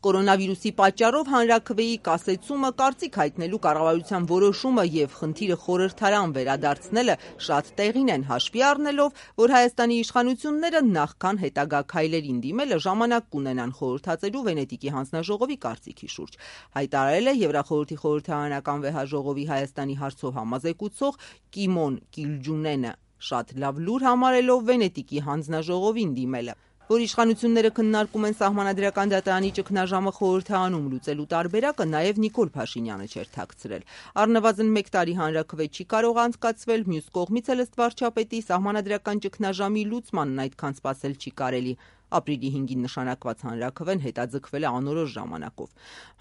Կորոնավիրուսի պատճառով հանրաքվեի կասեցումը, կարծիք հայտնելու կառավարության որոշումը եւ խնդիրը խորհրդարան վերադարձնելը շատ տեղին են, հաշվի առնելով, որ Հայաստանի իշխանությունները նախքան հետագա քայլերին դիմելը ժամանակ կունենան խորհրդածելու Վենետիկի հանձնաժողովի կարծիքի շուրջ, հայտարարել է Եվրախորհրդի խորհրդարանական վեհաժողովի Հայաստանի հարցով համազեկուցող Կիմոն Կիլջունենը, շատ լավ լուր համարելով Վենետիկի հանձնաժողովին դիմելը, որ իշխանությունները քննարկում են Սահմանադրական դատարանի ճգնաժամը խորհրդարանում լուծելու տարբերակը, նաև Նիկոլ Փաշինյանը չէր թաքցրել։ Առնվազն 1 տարի հանրաքվե չի կարող անցկացվել, մյուս կողմից էլ ըստ վարչապետի Սահմանադրական ճգնաժամի լուծմանն այդքան սպասել չի կարելի։ Ապրիլի 5-ին նշանակված հանրաքվեն հետաձգվել է անորոշ ժամանակով։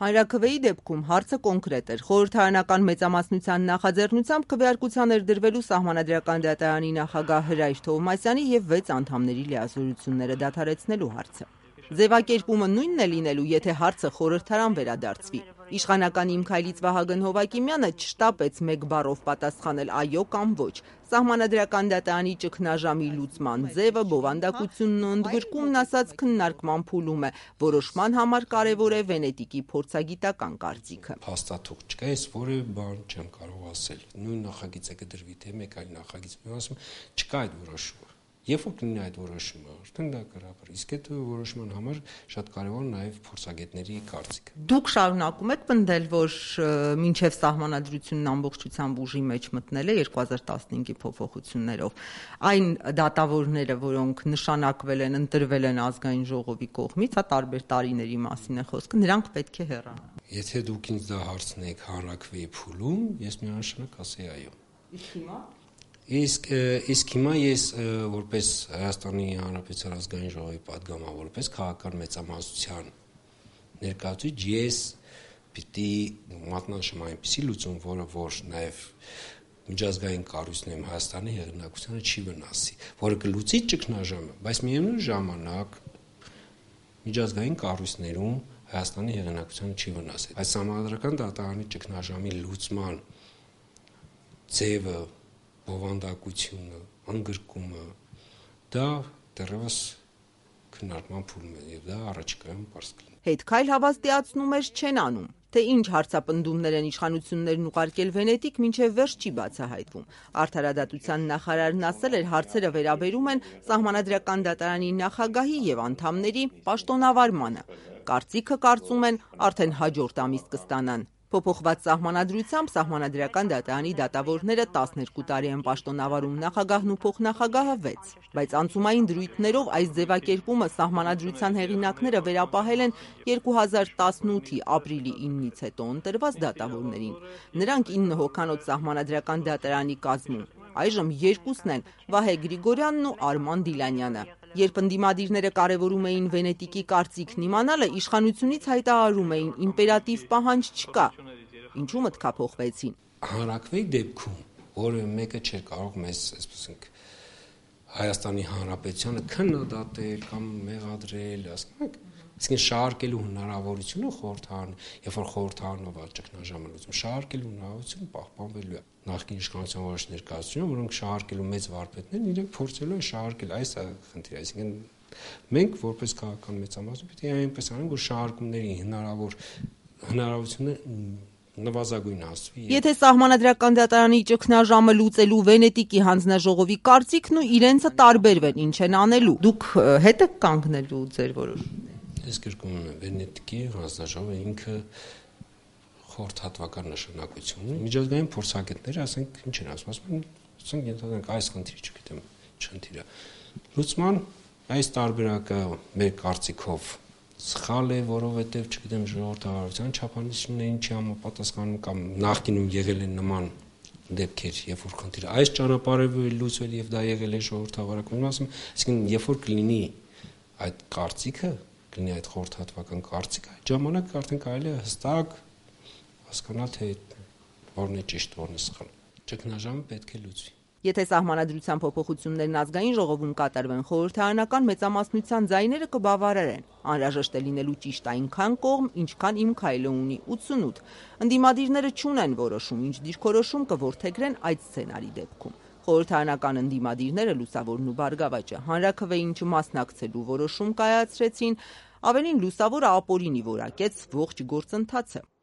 Հանրաքվեի դեպքում հարցը կոնկրետ էր։ Խորհրդարանական մեծամասնության նախաձեռնությամբ քվեարկության էր դրվելու Սահմանադրական դատարանի նախագահ Հրայր Թովմասյանի եւ 6 անդամների լիազորությունները դադարեցնելու հարցը։ Ձևակերպումը նույնն է լինելու, եթե հարցը խորհրդարան վերադարձվի։ Իշխանական Իմ քայլից Վահագն Հովակիմյանը չշտապեց մեկ բառով պատասխանել այո կամ ոչ։ Սահմանադրական դատարանի ճգնաժամի լուծման ձևը, բովանդակությունն ու ընդգրկումն ասած քննարկման փուլում է, որոշման համար կարևոր է Վենետիկի փորձագիտական կարծիքը։ Հաստատող չկա, ես որևէ բան չեմ կարող ասել։ Նույն նախագիծը կդրվի, թե մեկ այլ նախագիծ, ասում չկա այդ որոշումը։ Երբ որ կլինի այդ որոշումը, արդեն դա կհրապար։ Իսկ այդ որոշման համար շատ կարևոր նաև փորձագետների կարծիքը։ Դուք շարունակում եք պնդել, որ մինչև սահմանադրությունն ամբողջությամբ ուժի մեջ մտնել է 2015-ի փոփոխություններով, այն դատավորները, որոնք նշանակվել են, ընտրվել են ազգային ժողովի կողմից, հա տարբեր տարիների մասին է խոսքը, նրանք պետք է հեռանան։ Եթե դուք ինձ դա հարցնեք հանրաքվեի փուլում, ես միանշանակ ասեի այո։ Իսկ հիմա Իսկ հիմա ես որպես Հայաստանի Հանրապետության ազգային ժողովի պատգամավոր, որպես քաղաքական մեծամասնության ներկայացուցիչ, ես պիտի մատնանշեմ այնպիսի լուծում, որը որ նաև միջազգային կառույցներում Հայաստանի հեղինակությանը չի վնասի, որը կլուծի ճգնաժամը, բայց միևնույն ժամանակ միջազգային կառույցներում Հայաստանի հեղինակությանը չի վնասի։ Այս Սահմանադրական դատարանի ճգնաժամի լուծման ձևը, բովանդակությունը, ընդգրկումը, դա դեռևս քննարկման փուլում է եւ դա առաջիկայում պարզ կլինի։ Հետքայլ հավաստիացնումներ չեն անում, թե ինչ հարցապնդումներ են իշխանություններն ուղարկել Վենետիկ, մինչև վերջ չի բացահայտվում։ Արդարադատության նախարարն ասել էր, հարցերը վերաբերում են Սահմանադրական դատարանի նախագահի եւ անդամների պաշտոնավարմանը։ Կարծիքը կարծում են արդեն հաջորդ ամիս կստանան։ Փոփոխված սահմանադրությամբ Սահմանադրական դատարանի դատավորները 12 տարի են պաշտոնավարում, նախագահն ու փոխնախագահը 6, բայց անցումային դրույթներով այս ձևակերպումը Սահմանադրության հեղինակները վերապահել են 2018-ի ապրիլի 9-ից հետո ընտրված դատավորներին։ Նրանք 9 հոգանոց Սահմանադրական դատարանի կազմում, այժմ 2-ն են՝ Վահե Գրիգորյանն ու Արման Դիլանյանը։ Երբ ընդդիմադիրները կարևորում էին Վենետիկի կարծիքն իմանալը, իշխանությունից հայտարարում էին իմպերատիվ պահանջ չկա։ Ինչու մտքափոխվեցին։ Հանրաքվեի դեպքում որևէ մեկը չէր կարող մեզ, այսպես ասենք, Հայաստանի Հանրապետությանը քննադատել կամ մեղադրել, ասենք, իսկ շահարկելու հնարավորությունը խորհրդարան, երբ որ խորհրդարանով ճգնաժամը լուծում, շահարկելու հնարավորությունը պահպանվելու է։ Նախկին իշխանության որոշ ներկայացուցիչներ, որոնք շահարկելու մեծ վարպետներն, իրենք փորձելու են շահարկել այս խնդիրը, այսինքն մենք որպես քաղաքական մեծամասնություն պետք է այնպես անենք, որ շահարկումների հնարավորությունը նվազագույն հասցվի։ Եթե Սահմանադրական դատարանի ճգնաժամը լուծելու Վենետիկի հանձնաժողովի կարծիքն ու իրենցը տարբերվեն, ինչ են անելու։ Դուք հետ եք կանգնելու ձեր որոշումները։ Ես գրկում եմ Վենետիկի հանձնաժողովը ինքը խորհրդատվական նշանակություն ունի։ Միջազգային փորձագետները, ասենք, ինչ են ասում, ասենք ենթադրենք այս խնդիրը, չգիտեմ, չընդիրը։ Լուծման այս տարբերակը մեր կարծիքով սխալ է, որովհետև, չգիտեմ, ժողովրդավարության չափանիշներին չի համապատասխանում կամ նախկինում եղել են նման դեպքեր, երբ որ խնդիրը այս ճանապարհով է լուծվել եւ դա եղել է ժողովրդավարական, ասում, այսինքն երբ որ կլինի այդ կարծիքը, կլինի այդ խորհրդատվական կարծիքը, այդ ժամանակ արդեն կարելի է հստակ հասկանալ, թե որն է ճիշտ, որն է սխալ։ Ճգնաժամը պետք է լուծվի։ Եթե Սահմանադրության փոփոխություններն ազգային ժողովում կատարվեն, խորհրդարանական մեծամասնության ձայները կբավարարեն։ Անհրաժեշտ է լինելու ճիշտ այնքան կողմ, ինչքան Իմ քայլը ունի 88։ Ընդդիմադիրները չունեն որոշում, ինչ դիրքորոշում կորդեգրեն այդ սցենարի դեպքում։ Խորհրդարանական ընդդիմադիրները Լուսավորն ու Բարգավաճը հանրաքվեին չմասնակցելու որոշում կայացրեցին, ավելին լուսավոր ապօրինի որակեց ողջ գործընթացը։